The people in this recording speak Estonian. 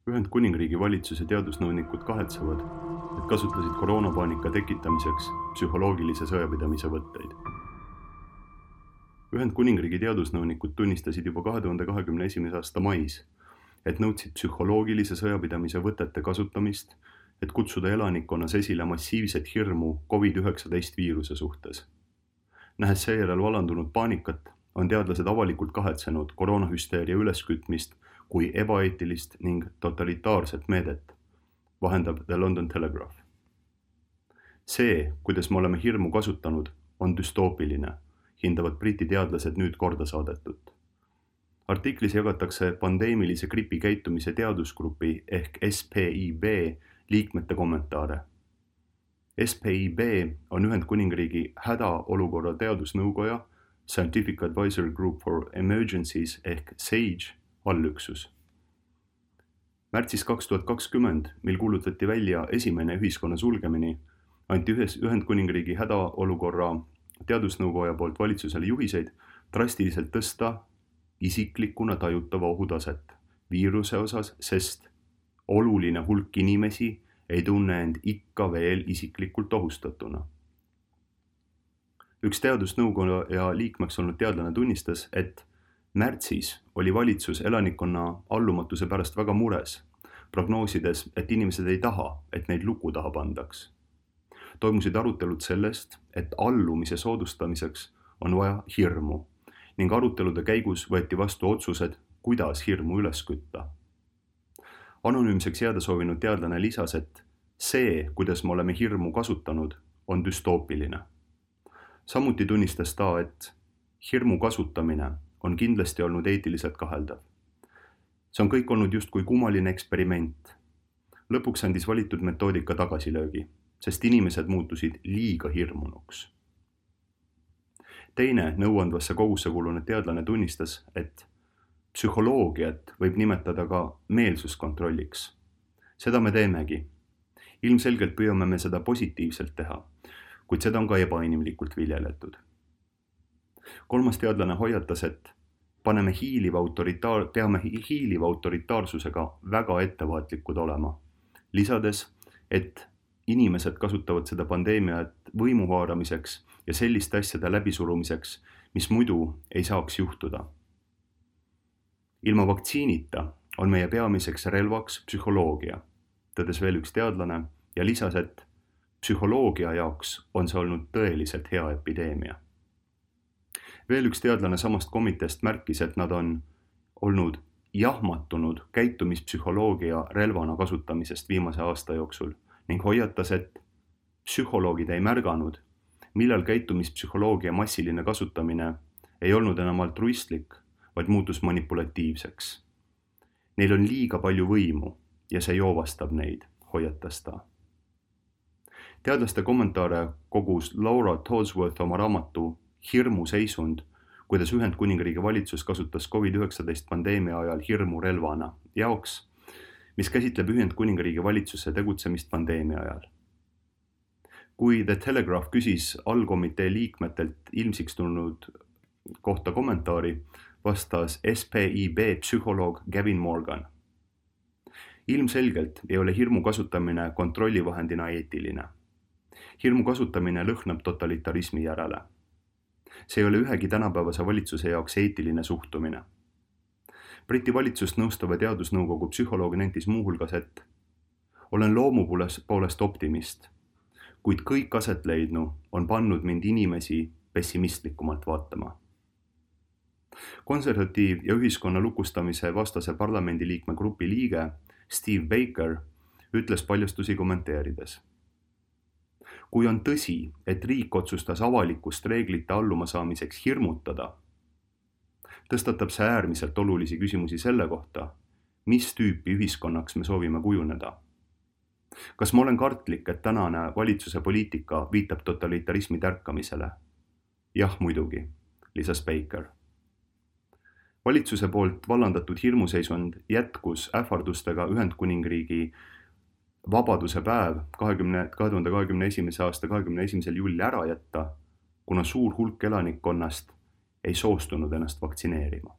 Ühendkuningriigi valitsuse teadusnõunikud kahetsevad, et kasutasid koroonapaanika tekitamiseks psühholoogilise sõjapidamise võtteid. Ühendkuningriigi teadusnõunikud tunnistasid juba 2021. aasta mais, et nõudsid psühholoogilise sõjapidamise võtete kasutamist, et kutsuda elanikkonnas esile massiivset hirmu COVID-19 viiruse suhtes. Nähes seejärel valandunud paanikat, on teadlased avalikult kahetsenud koroonahüsteeria üleskütmist kui ebaeetilist ning totalitaarset meedet, vahendab The London Telegraph. See, kuidas me oleme hirmu kasutanud, on düstoopiline, hindavad Briti teadlased nüüd korda saadetut. Artiklis jagatakse pandeemilise gripi käitumise teadusgrupi ehk SPIB liikmete kommentaare. SPIB on Ühendkuningriigi hädaolukorra teadusnõukoja Scientific Advisory Group for Emergencies ehk SAGE allüksus. Märtsis 2020, mil kuulutati välja esimene ühiskonna sulgemine, anti Ühendkuningriigi hädaolukorra teadusnõukoja poolt valitsusele juhiseid drastiliselt tõsta isiklikuna tajutava ohutaset viiruse osas, sest oluline hulk inimesi ei tunne end ikka veel isiklikult ohustatuna. Üks teadusnõukoja liikmeks olnud teadlane tunnistas, et märtsis oli valitsus elanikkonna allumatuse pärast väga mures, prognoosides, et inimesed ei taha, et neid luku taha pandaks. Toimusid arutelud sellest, et allumise soodustamiseks on vaja hirmu ning arutelude käigus võeti vastu otsused, kuidas hirmu üles kütta. Anonüümseks jääda soovinud teadlane lisas, et see, kuidas me oleme hirmu kasutanud, on düstoopiline. Samuti tunnistas ta, et hirmu kasutamine on kindlasti olnud eetiliselt kaheldav. See on kõik olnud justkui kummaline eksperiment. Lõpuks andis valitud metoodika tagasilöögi, sest inimesed muutusid liiga hirmunuks. Teine nõuandvasse kogusse kuulunud teadlane tunnistas, et psühholoogiat võib nimetada ka meelsuskontrolliks. Seda me teemegi. Ilmselgelt püüame me seda positiivselt teha, kuid seda on ka ebainimlikult viljeletud. Kolmas teadlane hoiatas, et peame hiiliva autoritaarsusega väga ettevaatlikud olema, lisades, et inimesed kasutavad seda pandeemiat võimu haaramiseks ja selliste asjade läbisurumiseks, mis muidu ei saaks juhtuda. Ilma vaktsiinita on meie peamiseks relvaks psühholoogia, tõdes veel üks teadlane ja lisas, et psühholoogia jaoks on see olnud tõeliselt hea epideemia. Veel üks teadlane samast komiteest märkis, et nad on olnud jahmatunud käitumispsühholoogia relvana kasutamisest viimase aasta jooksul ning hoiatas, et psühholoogid ei märganud, millal käitumispsühholoogia massiline kasutamine ei olnud enam altruistlik, vaid muutus manipulatiivseks. Neil on liiga palju võimu ja see joovastab neid, hoiatas ta. Teadlaste kommentaare kogus Laura Todsworth oma raamatu Hirmu seisund, kuidas Ühendkuningriigi valitsus kasutas COVID-19 pandeemia ajal hirmu relvana jaoks, mis käsitleb Ühendkuningriigi valitsuse tegutsemist pandeemia ajal. Kui The Telegraph küsis allkomitee liikmetelt ilmsiks tulnud kohta kommentaari, vastas SPIB psühholoog Gavin Morgan. Ilmselgelt ei ole hirmu kasutamine kontrollivahendina eetiline. Hirmu kasutamine lõhnab totalitarismi järele. See ei ole ühegi tänapäevase valitsuse jaoks eetiline suhtumine. Briti valitsust nõustava teadusnõukogu psühholoog nentis muuhulgas, et olen loomu poolest optimist, kuid kõik aset leidnu on pannud mind inimesi pessimistlikumalt vaatama. Konservatiiv ja ühiskonna lukustamise vastase parlamendiliikme grupi liige Steve Baker ütles paljastusi kommenteerides. Kui on tõsi, et riik otsustas avalikust reeglite alluma saamiseks hirmutada, tõstatab see äärmiselt olulisi küsimusi selle kohta, mis tüüpi ühiskonnaks me soovime kujuneda. Kas ma olen kartlik, et tänane valitsuse poliitika viitab totalitarismi tärkamisele? Jah, muidugi, lisas Baker. Valitsuse poolt vallandatud hirmuseisund jätkus ähvardustega Ühendkuningriigi vabaduse päev 2021. aasta 21. juuli ära jätta, kuna suur hulk elanikkonnast ei soostunud ennast vaktsineerima.